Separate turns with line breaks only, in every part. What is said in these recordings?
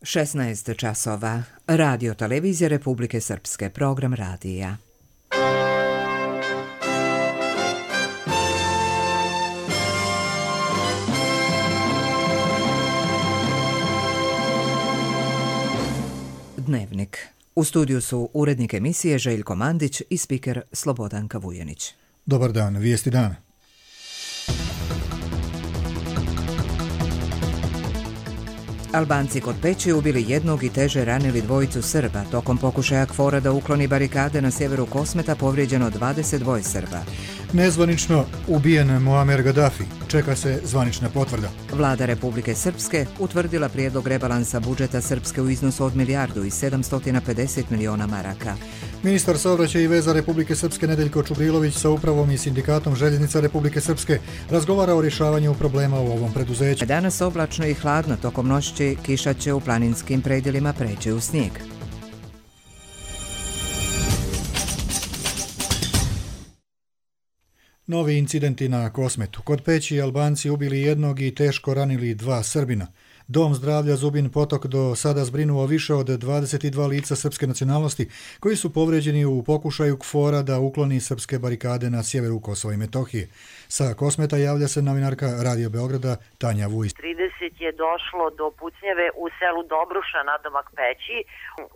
16 časova. Radio televizija Republike Srpske. Program radija. Dnevnik. U studiju su urednik emisije Željko Mandić i spiker Slobodanka Vujanić.
Dobar dan, vijesti dana.
Albanci kod Peći ubili jednog i teže ranili dvojicu Srba. Tokom pokušaja KFOR-a da ukloni barikade na sjeveru Kosmeta povrijeđeno 22 Srba.
Nezvanično ubijen Muamer Gaddafi. Čeka se zvanična potvrda.
Vlada Republike Srpske utvrdila prijedlog rebalansa budžeta Srpske u iznosu od 1.750 miliona maraka.
Ministar saobraćaja i veza Republike Srpske Nedeljko Čubrilović sa upravom i sindikatom željeznica Republike Srpske razgovara o rješavanju problema u ovom preduzeću.
Danas oblačno i hladno, tokom noći kiša će u planinskim predjelima preći u snijeg.
Novi incidenti na Kosmetu. Kod Peći Albanci ubili jednog i teško ranili dva Srbina. Dom zdravlja Zubin Potok do sada zbrinuo više od 22 lica srpske nacionalnosti koji su povređeni u pokušaju KFOR-a da ukloni srpske barikade na sjeveru Kosova i Metohije. Sa Kosmeta javlja se novinarka Radio Beograda Tanja Vujić.
30 je došlo do pucnjeve u selu Dobruša nadomak Peći.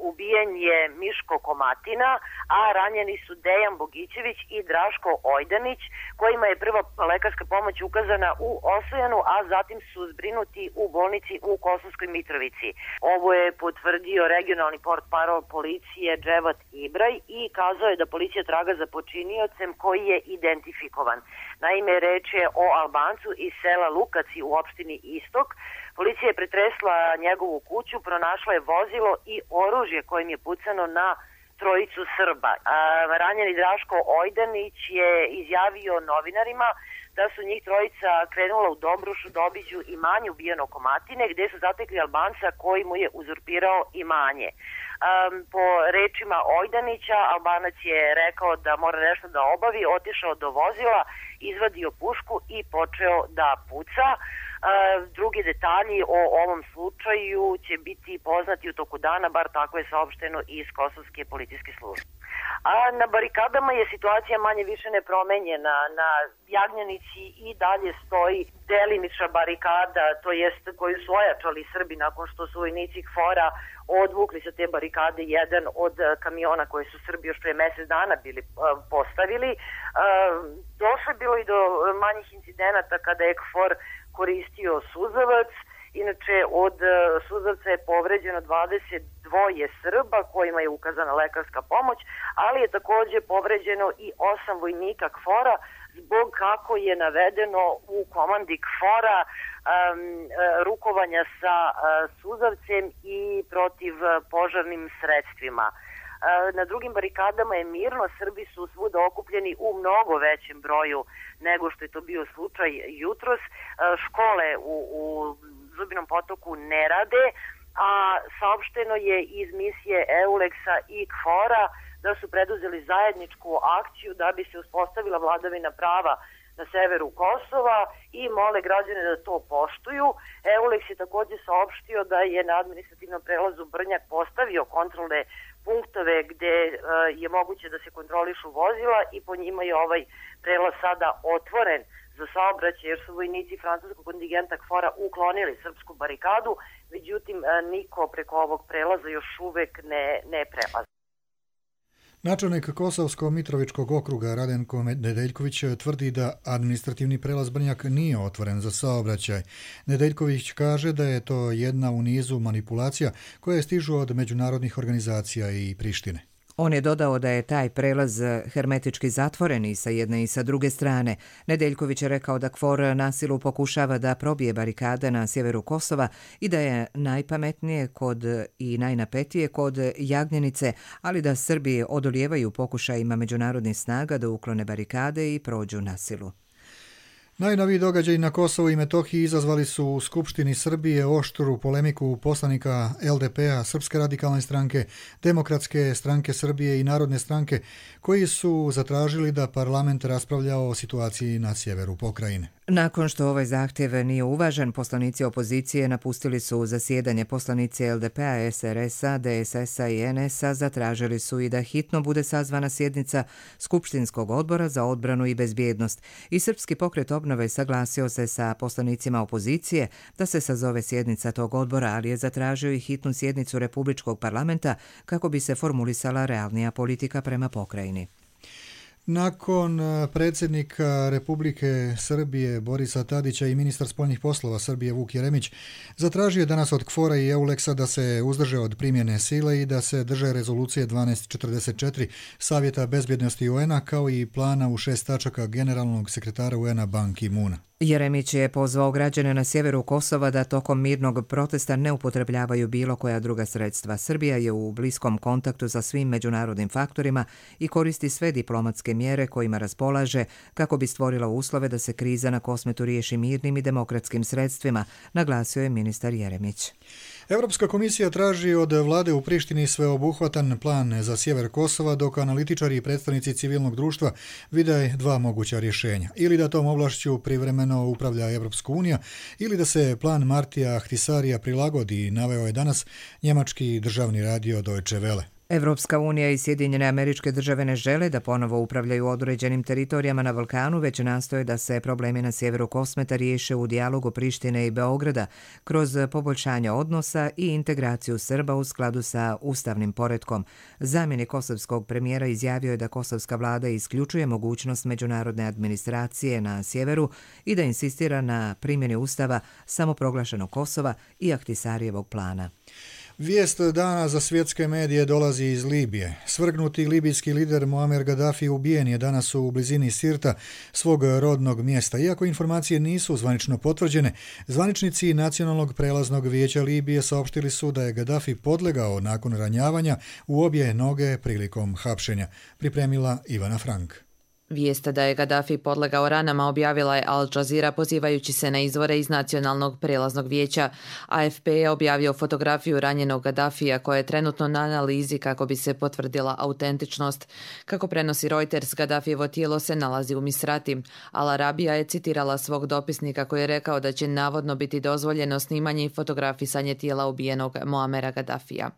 Ubijen je Miško Komatina, a ranjeni su Dejan Bogićević i Draško Ojdanić, kojima je prva lekarska pomoć ukazana u Osojanu, a zatim su zbrinuti u bolnici u Kosovskoj Mitrovici. Ovo je potvrdio regionalni portparol policije Dževat Ibraj i kazao je da policija traga za počiniocem koji je identifikovan. Naime, reč je o Albancu iz sela Lukaci u opštini Istok. Policija je pretresla njegovu kuću, pronašla je vozilo i oružje kojim je pucano na trojicu Srba. Ranjeni Draško Ojdanić je izjavio novinarima da su njih trojica krenula u Dobrušu da obiđu imanje ubijeno Komatine, gdje su zatekli Albanca koji mu je uzurpirao imanje. Po rečima Ojdanića, Albanac je rekao da mora nešto da obavi, otišao do vozila, izvadio pušku i počeo da puca. Drugi detalji o ovom slučaju će biti poznati u toku dana, bar tako je saopšteno iz Kosovske policijske službe. A na barikadama je situacija manje više nepromenjena. Na Jagnjanici i dalje stoji delimična barikada, to jest koju su ojačali Srbi nakon što su vojnici KFOR-a odvukli sa te barikade jedan od kamiona koje su Srbi još prije mjesec dana bili postavili. Došlo je bilo i do manjih incidenata kada je KFOR koristio suzavac. Inače, od suzavca je povređeno 22 Srba kojima je ukazana lekarska pomoć, ali je također povređeno i 8 vojnika KFOR-a zbog, kako je navedeno u komandi KFOR-a, rukovanja sa suzavcem i protiv požarnim sredstvima. Na drugim barikadama je mirno, Srbi su svuda okupljeni u mnogo većem broju nego što je to bio slučaj jutros. Škole u Zubinom Potoku ne rade, a saopšteno je iz misije EULEX-a i KFOR-a da su preduzeli zajedničku akciju da bi se uspostavila vladavina prava na severu Kosova i mole građane da to poštuju. EULEX je također saopštio da je na administrativnom prelazu Brnjak postavio kontrolne punktove gdje je moguće da se kontrolišu vozila i po njima je ovaj prelaz sada otvoren za saobraćaj jer su vojnici francuskog kontingenta KFOR-a uklonili srpsku barikadu, međutim niko preko ovog prelaza još uvek ne prelazi.
Načelnik Kosovsko-Mitrovičkog okruga Radenko Nedeljković tvrdi da administrativni prelaz Brnjak nije otvoren za saobraćaj. Nedeljković kaže da je to jedna u nizu manipulacija koje stižu od međunarodnih organizacija i Prištine.
On je dodao da je taj prelaz hermetički zatvoren i sa jedne i sa druge strane. Nedeljković je rekao da KFOR na silu pokušava da probije barikade na sjeveru Kosova i da je najpametnije i najnapetije kod Jagnjenice, ali da Srbi odolijevaju pokušajima međunarodnih snaga da uklone barikade i prođu na silu.
Najnoviji događaji na Kosovu i Metohiji izazvali su u Skupštini Srbije oštru polemiku poslanika LDP-a, Srpske radikalne stranke, Demokratske stranke Srbije i Narodne stranke, koji su zatražili da parlament raspravlja o situaciji na sjeveru pokrajine.
Nakon što ovaj zahtjev nije uvažen, poslanici opozicije napustili su zasjedanje. Poslanici LDP-a, SRS-a, DSS-a i NS-a zatražili su i da hitno bude sazvana sjednica Skupštinskog odbora za odbranu i bezbjednost. I Srpski pokret obnove saglasio se sa poslanicima opozicije da se sazove sjednica tog odbora, ali je zatražio i hitnu sjednicu Republičkog parlamenta kako bi se formulisala realnija politika prema pokrajini.
Nakon predsjednika Republike Srbije Borisa Tadića i ministar spoljnih poslova Srbije Vuk Jeremić zatražio danas od KFOR-a i EULEX-a da se uzdrže od primjene sile i da se drže rezolucije 1244 Savjeta bezbjednosti UN-a kao i plana u 6 tačaka generalnog sekretara UN-a Ban Ki-moona.
Jeremić je pozvao građane na sjeveru Kosova da tokom mirnog protesta ne upotrebljavaju bilo koja druga sredstva. Srbija je u bliskom kontaktu sa svim međunarodnim faktorima i koristi sve diplomatske mjere kojima raspolaže kako bi stvorila uslove da se kriza na Kosmetu riješi mirnim i demokratskim sredstvima, naglasio je ministar Jeremić.
Europska komisija traži od vlade u Prištini sveobuhvatan plan za sjever Kosova, dok analitičari i predstavnici civilnog društva vide dva moguća rješenja. Ili da tom ovlašću privremeno upravlja Europska unija, ili da se plan Martija Ahtisarija prilagodi, naveo je danas njemački državni radio Deutsche Welle.
Evropska unija i Sjedinjene Američke Države ne žele da ponovo upravljaju određenim teritorijama na Balkanu, već nastoje da se problemi na sjeveru Kosmeta riješe u dijalogu Prištine i Beograda kroz poboljšanje odnosa i integraciju Srba u skladu sa ustavnim poretkom. Zamjenik kosovskog premijera izjavio je da kosovska vlada isključuje mogućnost međunarodne administracije na sjeveru i da insistira na primjeni ustava samoproglašenog Kosova i Ahtisarijevog plana.
Vijest dana za svjetske medije dolazi iz Libije. Svrgnuti libijski lider Muammar Gaddafi ubijen je danas u blizini Sirta, svog rodnog mjesta. Iako informacije nisu zvanično potvrđene, zvaničnici Nacionalnog prelaznog vijeća Libije saopštili su da je Gaddafi podlegao nakon ranjavanja u obje noge prilikom hapšenja. Pripremila Ivana Frank.
Vijest da je Gaddafi podlegao ranama objavila je Al Jazeera pozivajući se na izvore iz Nacionalnog prelaznog vijeća. AFP je objavio fotografiju ranjenog Gaddafija koja je trenutno na analizi kako bi se potvrdila autentičnost. Kako prenosi Reuters, Gaddafijevo tijelo se nalazi u Misrati. Al Arabija je citirala svog dopisnika koji je rekao da će navodno biti dozvoljeno snimanje i fotografisanje tijela ubijenog Muamera Gaddafija.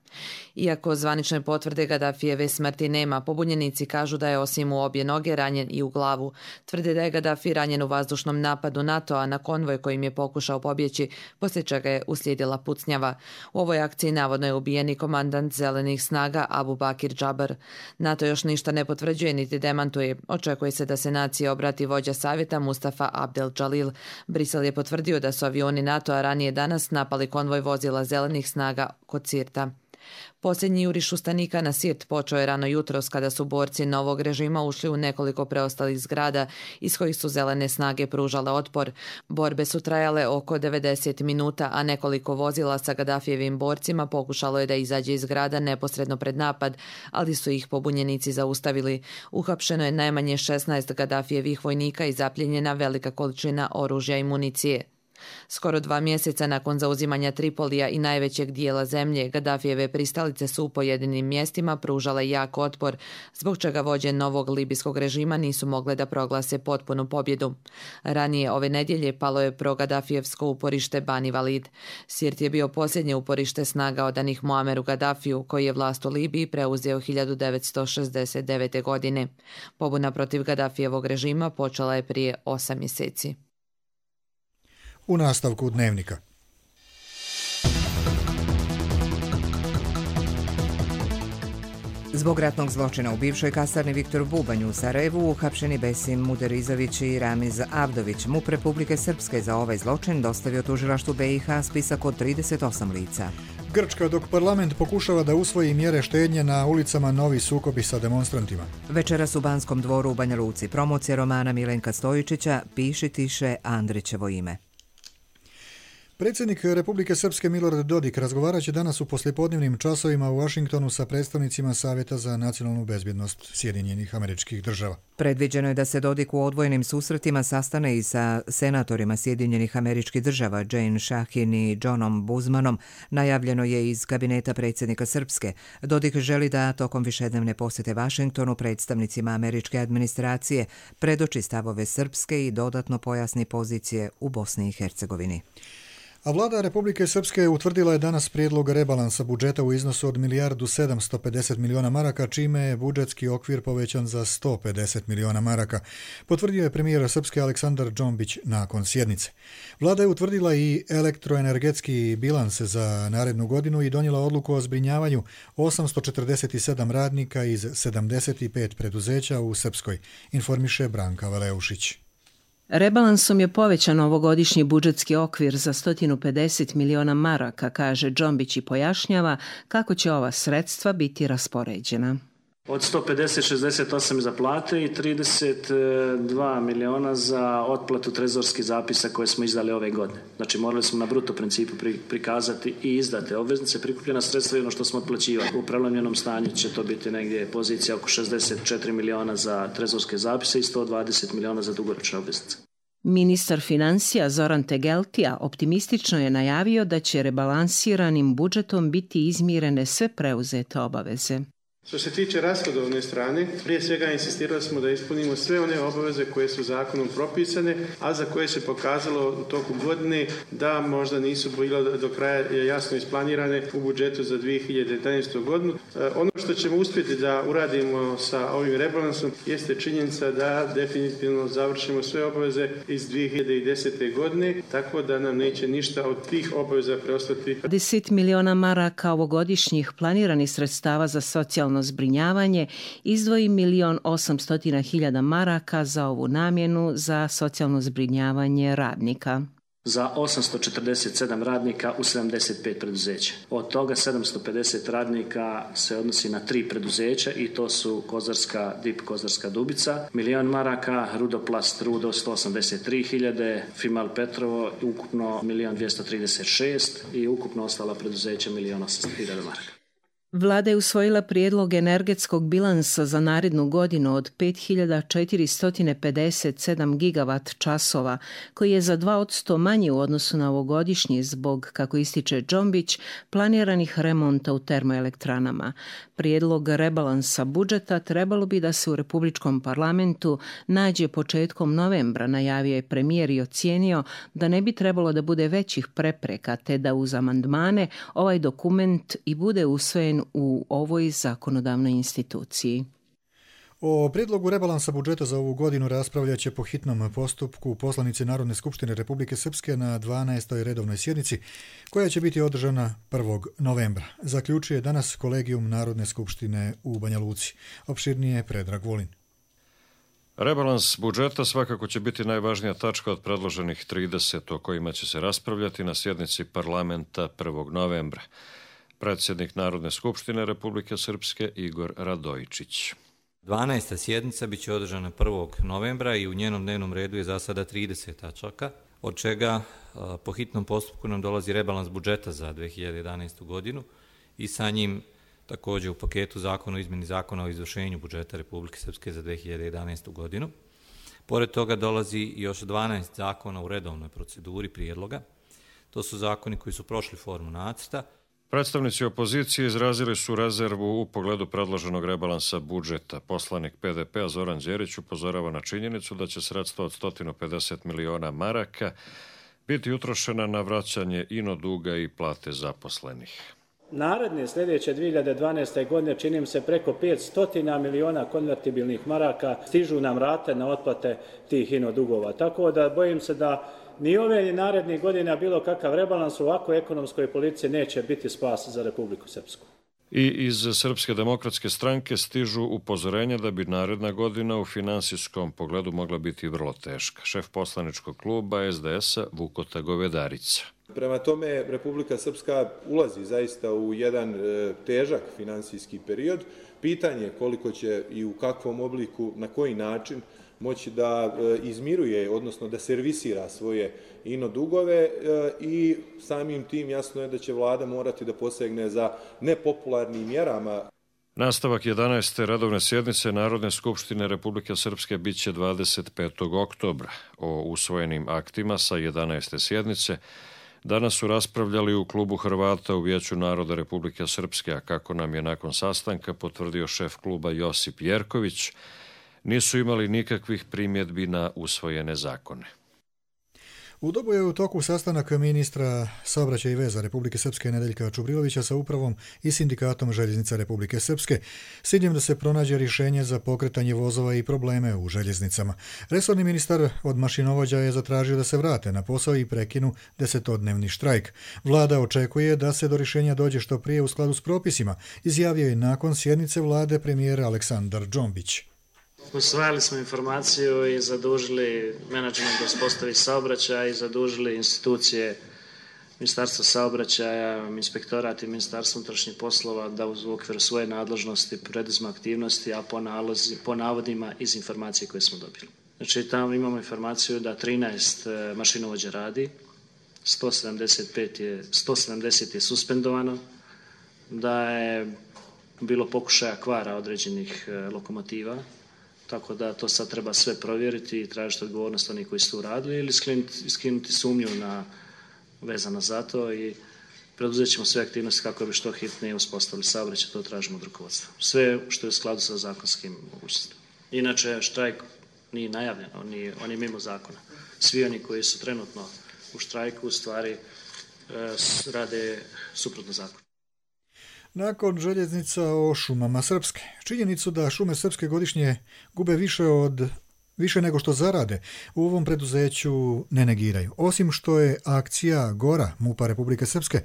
Iako zvanične potvrde Gaddafijeve smrti nema, pobunjenici kažu da je osim u obje noge ranjen i u glavu. Tvrde da je Gaddafi ranjen u vazdušnom napadu NATO-a na konvoj kojim je pokušao pobjeći, poslije čega je uslijedila pucnjava. U ovoj akciji navodno je ubijen i komandant zelenih snaga Abu Bakir Džabar. NATO još ništa ne potvrđuje niti demantuje. Očekuje se da se naciji obrati vođa savjeta Mustafa Abdel Jalil. Brisel je potvrdio da su avioni NATO-a ranije danas napali konvoj vozila zelenih snaga kod Sirta. Posljednji juriš ustanika na Sirt počeo je rano jutros kada su borci novog režima ušli u nekoliko preostalih zgrada iz kojih su zelene snage pružale otpor. Borbe su trajale oko 90 minuta, a nekoliko vozila sa Gaddafijevim borcima pokušalo je da izađe iz zgrada neposredno pred napad, ali su ih pobunjenici zaustavili. Uhapšeno je najmanje 16 Gaddafijevih vojnika i zapljenjena velika količina oružja i municije. Skoro 2 mjeseca nakon zauzimanja Tripolija i najvećeg dijela zemlje, Gaddafijeve pristalice su u pojedinim mjestima pružale jak otpor, zbog čega vođe novog libijskog režima nisu mogle da proglase potpunu pobjedu. Ranije ove nedjelje palo je pro-Gaddafijevsko uporište Bani Walid. Sirt je bio posljednje uporište snaga odanih Muammeru Gaddafiju, koji je vlast u Libiji preuzeo 1969. godine. Pobuna protiv Gaddafijevog režima počela je prije 8 mjeseci.
U nastavku dnevnika.
Zbog ratnog zločina u bivšoj kasarni Viktor Bubanj u Sarajevu uhapšeni Besim Muderizović i Ramiz Avdović. MUP Republike Srpske za ovaj zločin dostavio tužilaštvu BiH spisak od 38 lica.
Grčka, dok parlament pokušava da usvoji mjere štednje, na ulicama novi sukobi sa demonstrantima.
Večeras u Banskom dvoru u Banja Luci promocija romana Milenka Stojičića Piši tiše Andrićevo ime.
Predsjednik Republike Srpske Milorad Dodik razgovarat će danas u poslijepodnevnim časovima u Washingtonu sa predstavnicima Savjeta za nacionalnu bezbjednost Sjedinjenih Američkih Država.
Predviđeno je da se Dodik u odvojenim susretima sastane i sa senatorima Sjedinjenih Američkih Država Jane Shahin i Johnom Buzmanom, najavljeno je iz kabineta predsjednika Srpske. Dodik želi da tokom višednevne posjete Washingtonu predstavnicima američke administracije predoči stavove Srpske i dodatno pojasni pozicije u Bosni i Hercegovini.
A vlada Republike Srpske utvrdila je danas prijedlog rebalansa budžeta u iznosu od 1.750 miliona maraka, čime je budžetski okvir povećan za 150 miliona maraka, potvrdio je premijer Srpske Aleksandar Džombić nakon sjednice. Vlada je utvrdila i elektroenergetski bilans za narednu godinu i donijela odluku o zbrinjavanju 847 radnika iz 75 preduzeća u Srpskoj, informiše Branka Valeušić.
Rebalansom je povećan ovogodišnji budžetski okvir za 150 miliona maraka, kaže Džombić i pojašnjava kako će ova sredstva biti raspoređena.
Od 150-68 za plate i 32 miliona za otplatu trezorskih zapisa koje smo izdali ove godine. Znači morali smo na bruto principu prikazati i izdate obveznice, prikupljena sredstva i ono što smo otplaćivali. U prelomljenom stanju će to biti negdje pozicija oko 64 miliona za trezorske zapise i 120 miliona za dugoročne obveznice.
Ministar financija Zoran Tegeltija optimistično je najavio da će rebalansiranim budžetom biti izmirene sve preuzete obaveze.
Što se tiče rashodovne strane, prije svega insistirali smo da ispunimo sve one obaveze koje su zakonom propisane, a za koje se pokazalo u toku godine da možda nisu bile do kraja jasno isplanirane u budžetu za 2011. godinu. Ono što ćemo uspjeti da uradimo sa ovim rebalansom jeste činjenica da definitivno završimo sve obaveze iz 2010. godine, tako da nam neće ništa od tih obaveza preostati.
10 miliona maraka ovogodišnjih planiranih sredstava za socijalno zbrinjavanje izdvoji 1.800.000 maraka za ovu namjenu za socijalno zbrinjavanje radnika.
Za 847 radnika u 75 preduzeća. Od toga 750 radnika se odnosi na 3 preduzeća i to su Kozarska, DIP Kozarska Dubica, 1.000.000 maraka, Rudoplast Rudo 183.000, Fimal Petrovo ukupno 1.236.000 i ukupno ostala preduzeća 1.800.000 maraka.
Vlada je usvojila prijedlog energetskog bilansa za narednu godinu od 5.457 gigavat časova, koji je za 2% manji u odnosu na ovogodišnji zbog, kako ističe Džombić, planiranih remonta u termoelektranama. Prijedlog rebalansa budžeta trebalo bi da se u Republičkom parlamentu nađe početkom novembra, najavio je premijer i ocijenio da ne bi trebalo da bude većih prepreka, te da uz amandmane ovaj dokument i bude usvojen u ovoj zakonodavnoj instituciji.
O prijedlogu rebalansa budžeta za ovu godinu raspravljat će po hitnom postupku poslanici Narodne skupštine Republike Srpske na 12. redovnoj sjednici, koja će biti održana 1. novembra. Zaključuje danas kolegijum Narodne skupštine u Banja Luci. Opširnije Predrag Volin.
Rebalans budžeta svakako će biti najvažnija tačka od predloženih 30 o kojima će se raspravljati na sjednici parlamenta 1. novembra. Predsjednik Narodne skupštine Republike Srpske Igor Radojičić.
12. sjednica biće održana 1. novembra i u njenom dnevnom redu je za sada 30 tačaka, od čega po hitnom postupku nam dolazi rebalans budžeta za 2011. godinu i sa njim također u paketu zakona o izmjeni zakona o izvršenju budžeta Republike Srpske za 2011. godinu. Pored toga dolazi još 12 zakona u redovnoj proceduri prijedloga. To su zakoni koji su prošli formu nacrta.
Predstavnici opozicije izrazili su rezervu u pogledu predloženog rebalansa budžeta. Poslanik PDP-a Zoran Đerić upozorava na činjenicu da će sredstva od 150 miliona maraka biti utrošena na vraćanje ino duga i plate zaposlenih.
Naredne sljedeće 2012. godine činim se preko 500 miliona konvertibilnih maraka stižu nam rate na otplate tih ino dugova. Tako da bojim se da ni ove ni narednih godina bilo kakav rebalans u ovakvoj ekonomskoj politici neće biti spas za Republiku Srpsku.
I iz Srpske demokratske stranke stižu upozorenja da bi naredna godina u finansijskom pogledu mogla biti vrlo teška. Šef poslaničkog kluba SDS-a Vukota Govedarica.
Prema tome, Republika Srpska ulazi zaista u jedan težak finansijski period. Pitanje koliko će i u kakvom obliku, na koji način moći da izmiruje, odnosno da servisira svoje ino dugove i samim tim jasno je da će vlada morati da posegne za nepopularnim mjerama.
Nastavak 11. redovne sjednice Narodne skupštine Republike Srpske biće 25. oktobra. O usvojenim aktima sa 11. sjednice danas su raspravljali u klubu Hrvata u Vijeću naroda Republike Srpske, a kako nam je nakon sastanka potvrdio šef kluba Josip Jerković, nisu imali nikakvih primjedbi na usvojene zakone.
U Dobu je u toku sastanak ministra saobraćaja i veza Republike Srpske Nedeljka Čubrilovića sa upravom i sindikatom željeznica Republike Srpske s ciljem da se pronađe rješenje za pokretanje vozova i probleme u željeznicama. Resorni ministar od mašinovođa je zatražio da se vrate na posao i prekinu 10-dnevni štrajk. Vlada očekuje da se do rješenja dođe što prije u skladu s propisima, izjavio je nakon sjednice vlade premijer Aleksandar Džombić.
Usvajali smo informaciju i zadužili menadžment da uspostavi saobraćaj i zadužili institucije Ministarstva saobraćaja, inspektorat i Ministarstvo unutrašnjih poslova da u okviru svoje nadležnosti preduzmu aktivnosti, a po navodima iz informacije koje smo dobili. Znači tamo imamo informaciju da 13 mašinovođa radi, 170 je suspendovano, da je bilo pokušaja kvara određenih lokomotiva, tako da to sad treba sve provjeriti i tražiti odgovornost onih koji su to uradili ili skinuti sumnju vezano za to i preduzet ćemo sve aktivnosti kako bi što hitnije uspostavili saobraćaj, to tražimo od rukovodstva. Sve što je u skladu sa zakonskim mogućnostima. Inače, štrajk nije najavljen, on je mimo zakona. Svi oni koji su trenutno u štrajku u stvari rade suprotno zakonu.
Nakon željeznica o šumama Srpske. Činjenicu da šume Srpske godišnje gube više nego što zarade u ovom preduzeću ne negiraju. Osim što je akcija Gora MUP-a Republike Srpske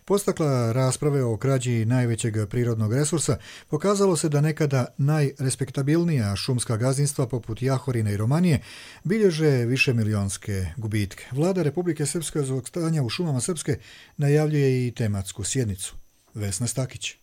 postakla rasprave o krađi najvećeg prirodnog resursa, pokazalo se da nekada najrespektabilnija šumska gazdinstva poput Jahorine i Romanije bilježe višemilionske gubitke. Vlada Republike Srpske zbog stanja u šumama Srpske najavljuje i tematsku sjednicu. Vesna Stakić.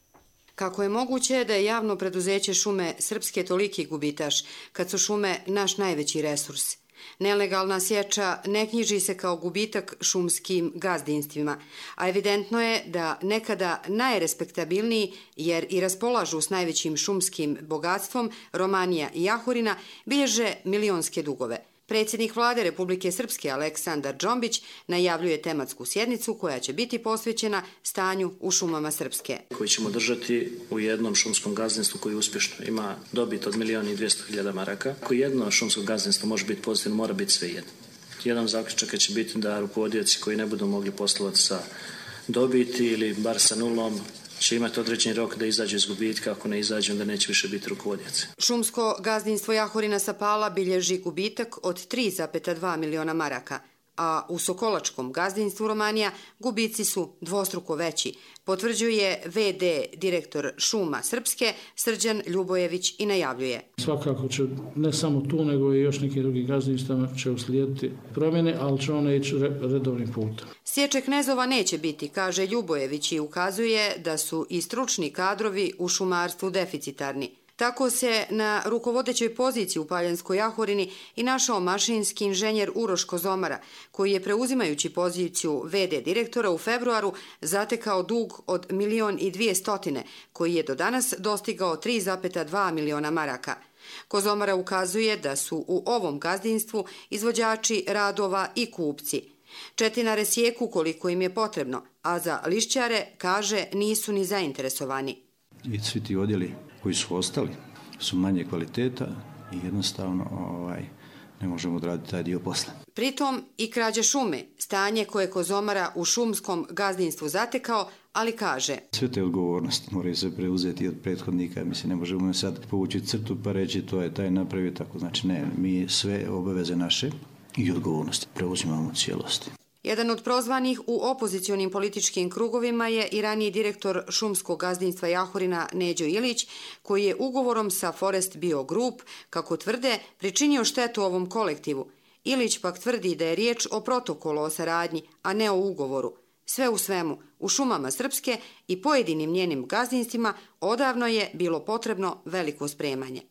Kako je moguće da je javno preduzeće Šume Srpske toliki gubitaš, kad su šume naš najveći resurs? Nelegalna sječa ne knjiži se kao gubitak šumskim gazdinstvima, a evidentno je da nekada najrespektabilniji, jer i raspolažu s najvećim šumskim bogatstvom, Romanija i Jahorina, bilježe milionske dugove. Predsjednik vlade Republike Srpske Aleksandar Džombić najavljuje tematsku sjednicu koja će biti posvećena stanju u šumama Srpske.
Koji ćemo držati u jednom šumskom gazdinstvu koji uspješno ima dobit od 1.200.000 maraka. Ako jedno šumsko gazdinstvo može biti pozitivno, mora biti sve jedno. Jedan zaključak će biti da rukovodioci koji ne budu mogli poslovati sa dobiti ili bar sa nulom će imati određeni rok da izađu iz gubitka, ako ne izađu onda neće više biti rukovodioci.
Šumsko gazdinstvo Jahorina sa Pala bilježi gubitak od 3,2 miliona maraka, a u Sokolačkom gazdinstvu Romanija gubici su dvostruko veći, potvrđuje VD direktor Šuma Srpske Srđan Ljubojević i najavljuje.
Svakako će ne samo tu, nego i još neki drugi gazdinstva će uslijediti promjene, ali će one ići redovnim putem.
Sječe knezova neće biti, kaže Ljubojević i ukazuje da su i stručni kadrovi u šumarstvu deficitarni. Tako se na rukovodećoj poziciji u Paljanskoj Jahorini i našao mašinski inženjer Uroš Kozomara, koji je preuzimajući poziciju VD direktora u februaru zatekao dug od 1.200.000, koji je do danas dostigao 3,2 miliona maraka. Kozomara ukazuje da su u ovom gazdinstvu izvođači radova i kupci. Četinare sjeku koliko im je potrebno, a za lišćare, kaže, nisu ni zainteresovani.
I svi ti odjeli koji su ostali su manje kvaliteta i jednostavno ne možemo odraditi taj dio posla.
Pritom i krađa šume, stanje koje Kozomara u šumskom gazdinstvu zatekao, ali kaže.
Sve te odgovornosti moraju se preuzeti od prethodnika, mislim ne možemo sad povući crtu pa reći to je taj napravio tako, znači ne, mi sve obaveze naše i odgovornosti preuzimamo u cijelosti.
Jedan od prozvanih u opozicionim političkim krugovima je i raniji direktor šumskog gazdinstva Jahorina Neđo Ilić, koji je ugovorom sa Forest Bio Group, kako tvrde, pričinio štetu ovom kolektivu. Ilić pak tvrdi da je riječ o protokolu o saradnji, a ne o ugovoru. Sve u svemu, u šumama Srpske i pojedinim njenim gazdinstvima odavno je bilo potrebno veliko spremanje.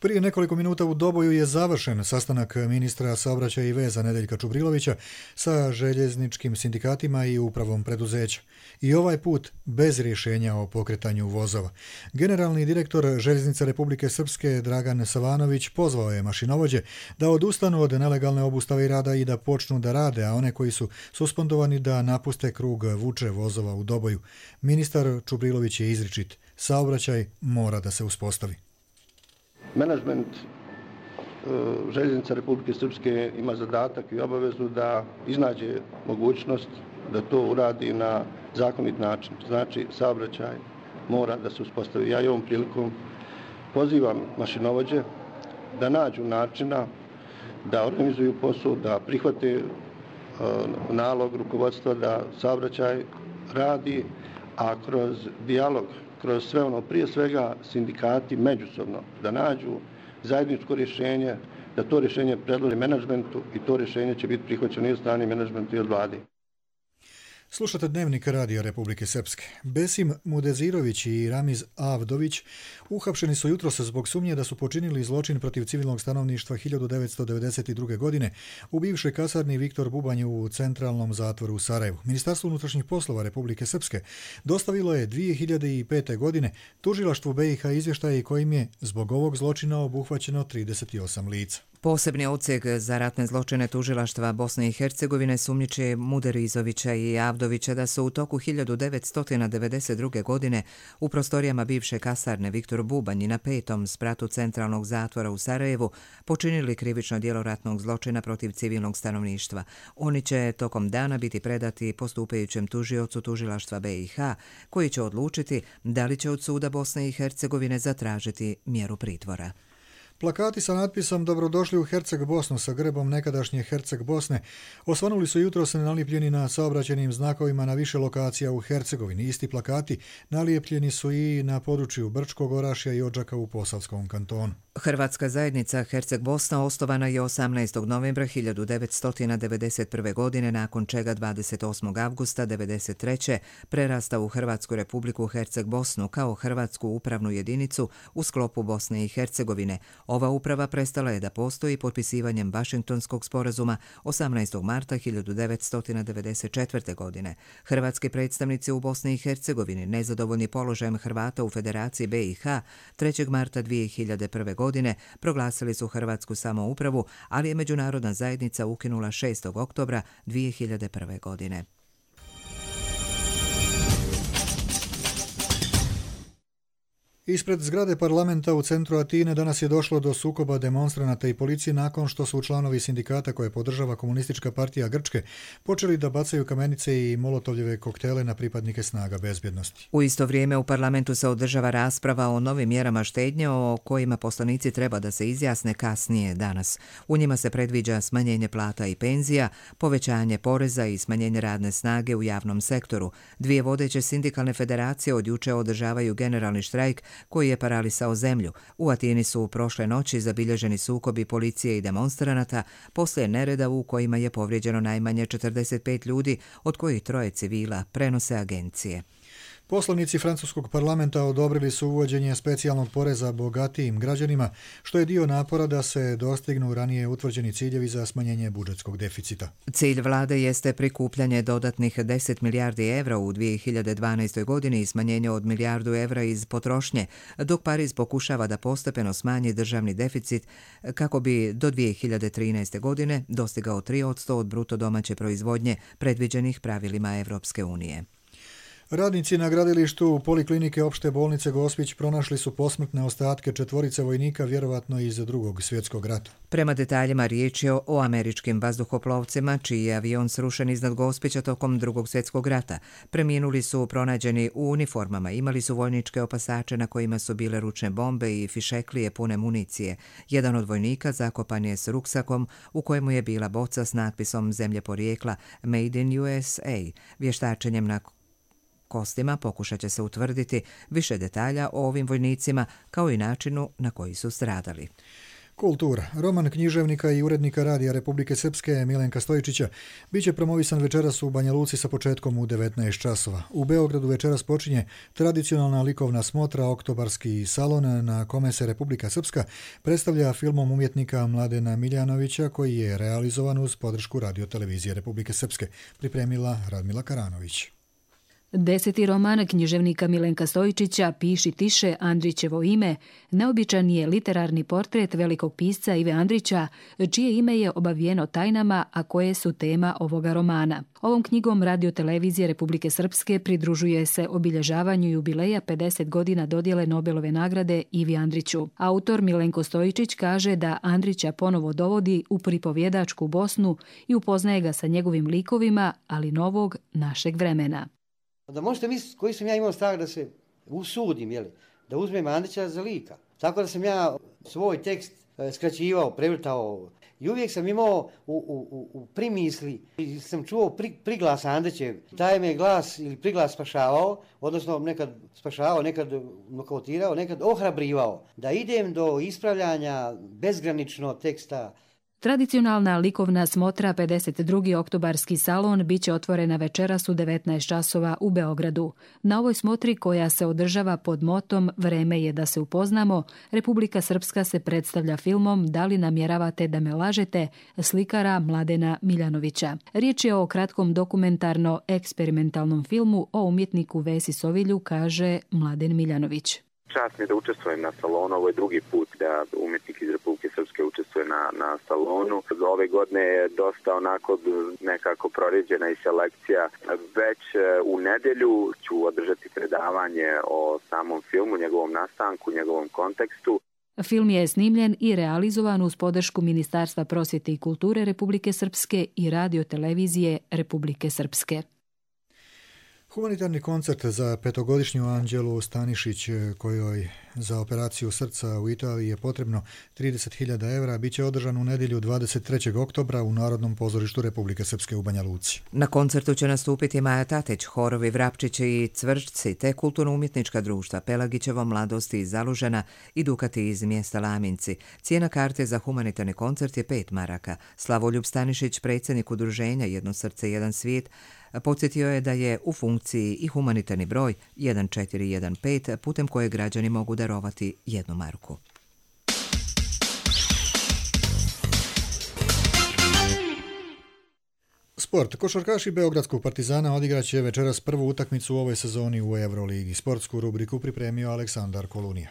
Prije nekoliko minuta u Doboju je završen sastanak ministra saobraćaja i veza Nedeljka Čubrilovića sa željezničkim sindikatima i upravom preduzeća. I ovaj put bez rješenja o pokretanju vozova. Generalni direktor Željeznica Republike Srpske Dragan Savanović pozvao je mašinovođe da odustanu od nelegalne obustave i rada i da počnu da rade, a one koji su suspendovani da napuste krug vuče vozova u Doboju. Ministar Čubrilović je izričit. Saobraćaj mora da se uspostavi.
Menadžment Željeznica Republike Srpske ima zadatak i obavezu da iznađe mogućnost da to uradi na zakonit način. Znači, saobraćaj mora da se uspostavi. Ja i ovom prilikom pozivam mašinovođe da nađu načina da organizuju posao, da prihvate nalog rukovodstva da saobraćaj radi, a kroz dijalog, kroz sve ono, prije svega sindikati međusobno, da nađu zajedničko rješenje, da to rješenje predloži menadžmentu i to rješenje će biti prihvaćeno i od strane menadžmenta i od vlade.
Slušate Dnevnik Radija Republike Srpske. Besim Mudezirović i Ramiz Avdović uhapšeni su jutros zbog sumnje da su počinili zločin protiv civilnog stanovništva 1992. godine u bivšoj kasarni Viktor Bubanj u centralnom zatvoru u Sarajevu. Ministarstvo unutrašnjih poslova Republike Srpske dostavilo je 2005. godine tužilaštvu BiH izvještaje kojim je zbog ovog zločina obuhvaćeno 38 lica.
Posebni odsjek za ratne zločine tužilaštva Bosne i Hercegovine sumnjiče Muderizovića i Avdovića da su u toku 1992. godine u prostorijama bivše kasarne Viktor Bubanj na 5. spratu centralnog zatvora u Sarajevu počinili krivično djelo ratnog zločina protiv civilnog stanovništva. Oni će tokom dana biti predati postupajućem tužiocu tužilaštva BiH, koji će odlučiti da li će od suda Bosne i Hercegovine zatražiti mjeru pritvora.
Plakati sa natpisom Dobrodošli u Herceg Bosnu sa grbom nekadašnje Herceg Bosne osvanuli su jutros nalijepljeni na saobraćenim znakovima na više lokacija u Hercegovini. Isti plakati nalijepljeni su i na području Brčkog Orašja i Odžaka u Posavskom kantonu.
Hrvatska zajednica Herceg Bosna osnovana je 18. novembra 1991. godine, nakon čega 28. avgusta 1993. prerasta u Hrvatsku republiku Herceg Bosnu kao Hrvatsku upravnu jedinicu u sklopu Bosne i Hercegovine. Ova uprava prestala je da postoji potpisivanjem Vašingtonskog sporazuma 18. marta 1994. godine. Hrvatski predstavnici u Bosni i Hercegovini, nezadovoljni položajem Hrvata u Federaciji BiH, 3. marta 2001. godine proglasili su Hrvatsku samoupravu, ali je međunarodna zajednica ukinula 6. oktobra 2001. godine.
Ispred zgrade parlamenta u centru Atine danas je došlo do sukoba demonstranata i policije nakon što su članovi sindikata koje podržava Komunistička partija Grčke počeli da bacaju kamenice i molotovljeve koktele na pripadnike snaga bezbjednosti.
U isto vrijeme u parlamentu se održava rasprava o novim mjerama štednje o kojima poslanici treba da se izjasne kasnije danas. U njima se predviđa smanjenje plata i penzija, povećanje poreza i smanjenje radne snage u javnom sektoru. Dvije vodeće sindikalne federacije od juče održavaju generalni štrajk koji je paralisao zemlju. U Atini su prošle noći zabilježeni sukobi policije i demonstranata poslije nereda u kojima je povrijeđeno najmanje 45 ljudi, od kojih 3 civila, prenose agencije.
Poslanici francuskog parlamenta odobrili su uvođenje specijalnog poreza bogatijim građanima, što je dio napora da se dostignu ranije utvrđeni ciljevi za smanjenje budžetskog deficita.
Cilj vlade jeste prikupljanje dodatnih 10 milijardi evra u 2012. godini i smanjenje od milijardu evra iz potrošnje, dok Pariz pokušava da postepeno smanji državni deficit kako bi do 2013. godine dostigao 3% od bruto domaće proizvodnje predviđenih pravilima Evropske unije.
Radnici na gradilištu Poliklinike opšte bolnice Gospić pronašli su posmrtne ostatke 4 vojnika, vjerovatno iz Drugog svjetskog rata.
Prema detaljima riječ je o američkim vazduhoplovcima, čiji je avion srušen iznad Gospića tokom Drugog svjetskog rata. Preminuli su pronađeni u uniformama, imali su vojničke opasače na kojima su bile ručne bombe i fišeklije pune municije. Jedan od vojnika zakopan je s ruksakom u kojemu je bila boca s natpisom zemlje porijekla Made in USA. Vještačenjem na kostima pokušat će se utvrditi više detalja o ovim vojnicima kao i načinu na koji su stradali.
Kultura. Roman književnika i urednika Radija Republike Srpske Milenka Stojičića biće promovisan večeras u Banja Luci sa početkom u 19 časova. U Beogradu večeras počinje tradicionalna likovna smotra Oktobarski salon na kome se Republika Srpska predstavlja filmom umjetnika Mladena Miljanovića koji je realizovan uz podršku Radio-televizije Republike Srpske, pripremila Radmila Karanović.
10. roman književnika Milenka Stojičića Piši tiše, Andrićevo ime, neobičan je literarni portret velikog pisca Ive Andrića, čije ime je obavijeno tajnama, a koje su tema ovoga romana. Ovom knjigom Radio-televizije Republike Srpske pridružuje se obilježavanju jubileja 50 godina dodjele Nobelove nagrade Ivi Andriću. Autor Milenko Stojičić kaže da Andrića ponovo dovodi u pripovjedačku Bosnu i upoznaje ga sa njegovim likovima, ali novog našeg vremena.
Da možete misliti koji sam ja imao strah da se usudim, da uzmem Andrića za lika. Tako da sam ja svoj tekst skraćivao, prevrtao i uvijek sam imao u primisli, sam čuo priglas Andrićev. Taj me glas ili priglas spašavao, odnosno nekad spašavao, nekad nokautirao, nekad ohrabrivao. Da idem do ispravljanja bezgranično teksta.
Tradicionalna likovna smotra 52. Oktobarski salon biće otvorena večeras u 19 časova u Beogradu. Na ovoj smotri koja se održava pod motom Vreme je da se upoznamo, Republika Srpska se predstavlja filmom Da li namjeravate da me lažete, slikara Mladena Miljanovića. Riječ je o kratkom dokumentarno-eksperimentalnom filmu o umjetniku Vesi Sovilju, kaže Mladen Miljanović.
Čast mi je da učestvujem na salonu, ovo je drugi put da umjetnik iz Republike Srpske učestvuje na salonu. Ove godine je dosta onako nekako prorijeđena i selekcija. Već u nedelju ću održati predavanje o samom filmu, njegovom nastanku, njegovom kontekstu.
Film je snimljen i realizovan uz podršku Ministarstva prosvjete i kulture Republike Srpske i Radio-televizije Republike Srpske.
Humanitarni koncert za petogodišnju Anđelu Stanišić, kojoj za operaciju srca u Italiji je potrebno 30.000 evra, bit će održan u nedjelju 23. oktobra u Narodnom pozorištu Republike Srpske u Banja Luci.
Na koncertu će nastupiti Maja Tateć, horovi Vrapčići i Cvrčci, te kulturno-umjetnička društva Pelagićevo, Mladosti iz Zalužena i Dukati iz mjesta Laminci. Cijena karte za humanitarni koncert je 5 maraka. Slavoljub Stanišić, predsjednik udruženja Jedno srce, jedan svijet, podsjetio je da je u funkciji i humanitarni broj 1415 putem koje građani mogu darovati 1 marku.
Sport. Košarkaši Beogradskog Partizana odigraće večeras prvu utakmicu u ovoj sezoni u Euroligi. Sportsku rubriku pripremio Aleksandar Kolunija.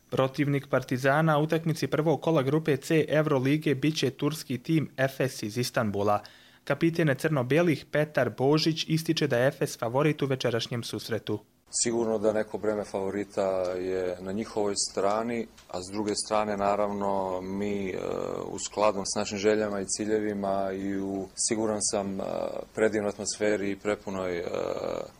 Protivnik Partizana u utakmici prvog kola grupe C Eurolige biće turski tim Efes iz Istanbula. Kapiten crno-belih Petar Božić ističe da je Efes favorit u večerašnjem susretu.
Sigurno da neko breme favorita je na njihovoj strani, a s druge strane naravno mi u skladu s našim željama i ciljevima i u, siguran sam, predivnoj atmosferi i prepunoj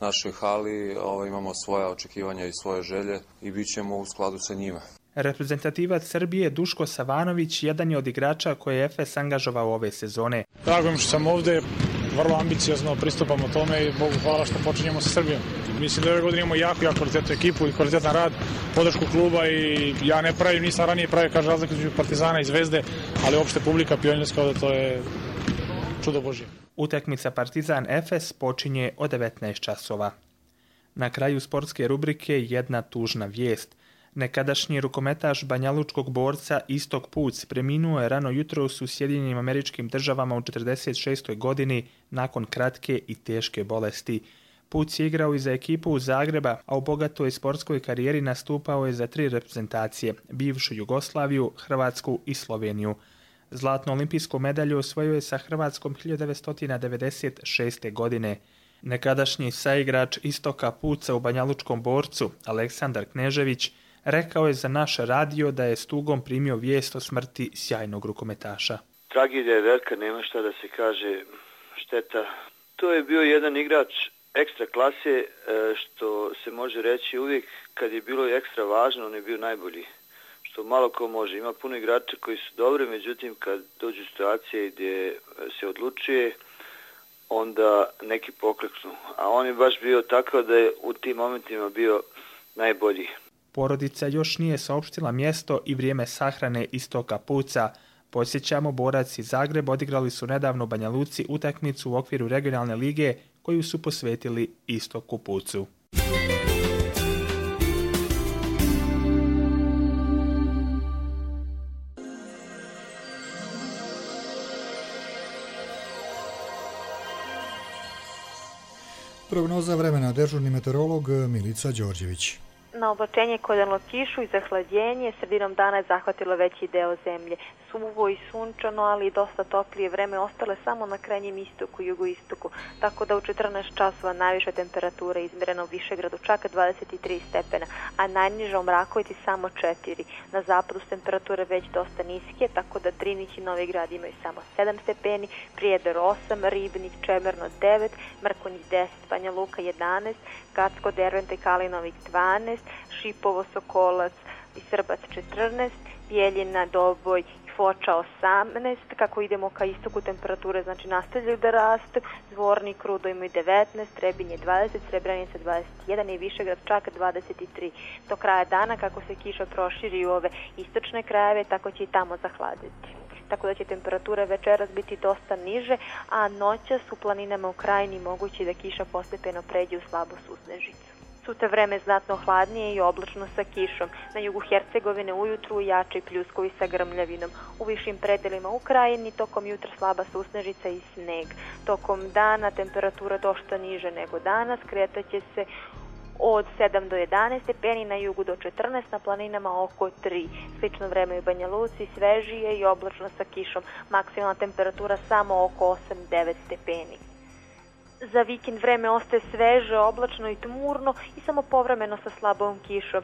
našoj hali imamo svoja očekivanja i svoje želje i bit ćemo u skladu sa njima.
Reprezentativac Srbije Duško Savanović jedan je od igrača koje je Efes angažovao ove sezone.
Drago mi što sam ovdje, vrlo ambiciozno pristupamo tome i Bogu hvala što počinjemo sa Srbijom. Mislim da ove godine imamo jako kvalitetnu ekipu i kvalitetan rad, podršku kluba i ja ne pravim, nisam ranije pravio razliku između Partizana i Zvezde, ali uopšte publika pionirska ovdje, to je čudo Božje.
Utakmica Partizan Efes počinje od 19 časova. Na kraju sportske rubrike jedna tužna vijest. Nekadašnji rukometaš banjalučkog borca Istok Puc preminuo je rano jutros u Sjedinjenim Američkim Državama u 46. godini nakon kratke i teške bolesti. Puc je igrao i za ekipu u Zagreba, a u bogatoj sportskoj karijeri nastupao je za 3 reprezentacije, bivšu Jugoslaviju, Hrvatsku i Sloveniju. Zlatnu olimpijsku medalju osvojio je sa Hrvatskom 1996. godine. Nekadašnji saigrač Istoka Puca u banjalučkom borcu, Aleksandar Knežević, rekao je za naš radio da je s tugom primio vijest o smrti sjajnog rukometaša.
Tragedija je velika, nema šta da se kaže, šteta. To je bio jedan igrač ekstra klase, što se može reći uvijek kad je bilo ekstra važno, on je bio najbolji. Što malo ko može. Ima puno igrača koji su dobri, međutim kad dođu situacije gdje se odlučuje, onda neki pokleknu. A on je baš bio takav da je u tim momentima bio najbolji.
porodica još nije saopštila mjesto i vrijeme sahrane istoka puca. Podsjećamo, borac iz Zagreba odigrali su nedavno u Banja Luci utakmicu u okviru regionalne lige koju su posvetili istoku pucu.
Prognoza vremena, dežurni meteorolog Milica Đorđević.
Na oblačenje kodalo kišu i zahlađenje, sredinom dana je zahvatilo veći deo zemlje. Suvo i sunčano, ali i dosta toplije vreme ostale samo na krajnjem istoku i jugoistoku, tako da u 14 časova najviša temperatura izmjerena u Višegradu čak 23 stepena, a najniža u Mrakovici samo 4. Na zapadu su temperature već dosta niske, tako da Drinić i Novi Grad imaju samo 7 stepeni, Prijedor 8, Ribnik, Čemerno 9, Mrkonjić 10, Banja Luka 11, Kacko, Derventa i Kalinovik 12, Šipovo, Sokolac i Srbac 14, Bjeljina, Doboj i Foča 18. Kako idemo ka istoku, temperature znači nastavljaju da rastu. Zvornik, Rudo imaju 19, Trebinje 20, Srebrenica 21 i Višegrad čak 23. Do kraja dana, kako se kiša proširi u ove istočne krajeve, tako će i tamo zahladiti. Tako da će temperature večeras biti dosta niže, a noćas u planinama u krajini moguće da kiša postepeno pređe u slabu susnežicu. Sutra vreme znatno hladnije i oblačno sa kišom. Na jugu Hercegovine ujutru jači pljuskovi sa grmljavinom. U višim predelima u krajini tokom jutra slaba susnežica i sneg. Tokom dana temperatura dosta niže nego danas, kretaće se od 7 do 11 stepeni, na jugu do 14, na planinama oko 3. Slično vreme u Banja Luci, svežije i oblačno sa kišom. Maksimalna temperatura samo oko 8-9 stepeni. Za vikend vreme ostaje sveže, oblačno i tmurno i samo povremeno sa slabom kišom.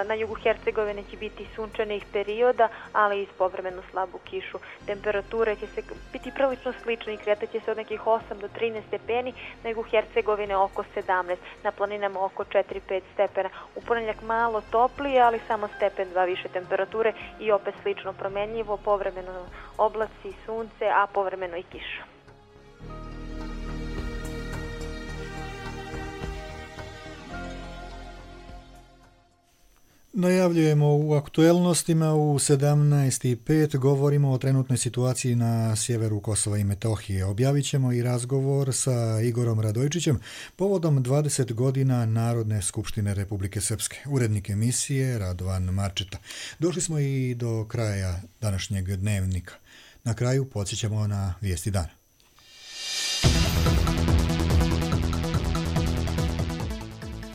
Na jugu Hercegovine će biti sunčanih perioda, ali i s povremeno slabu kišu. Temperature će se biti prilično slične i kretaće se od nekih 8 do 13 stepeni, na jugu Hercegovine oko 17, na planinama oko 4-5 stepena. U ponedjeljak malo toplije, ali samo stepen 2 više temperature i opet slično promenljivo, povremeno oblaci, sunce, a povremeno i kiša.
Najavljujemo u aktuelnostima u 17.05 govorimo o trenutnoj situaciji na sjeveru Kosova i Metohije. Objavit ćemo i razgovor sa Igorom Radojčićem povodom 20 godina Narodne skupštine Republike Srpske. Urednik emisije Radovan Marčeta. Došli smo i do kraja današnjeg dnevnika. Na kraju podsjećamo na vijesti dana.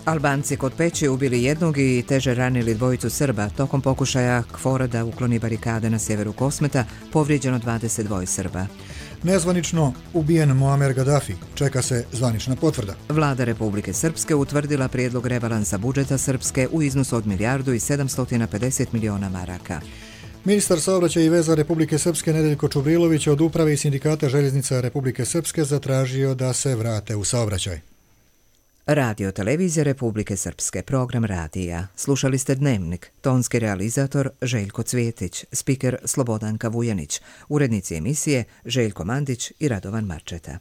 Albanci kod Peći ubili jednog i teže ranili dvojicu Srba. Tokom pokušaja KFOR-a da ukloni barikade na sjeveru Kosmeta povrijeđeno 22 Srba.
Nezvanično ubijen Muamer Gaddafi. Čeka se zvanična potvrda.
Vlada Republike Srpske utvrdila prijedlog rebalansa budžeta Srpske u iznosu od 1.750 miliona maraka.
Ministar saobraćaja i veza Republike Srpske Nedeljko Čubrilović od uprave i sindikata željeznica Republike Srpske zatražio da se vrate u saobraćaj.
Radio televizija Republike Srpske, program radija. Slušali ste Dnevnik, tonski realizator Željko Cvjetić, spiker Slobodanka Vujanić, urednici emisije Željko Mandić i Radovan Marčeta.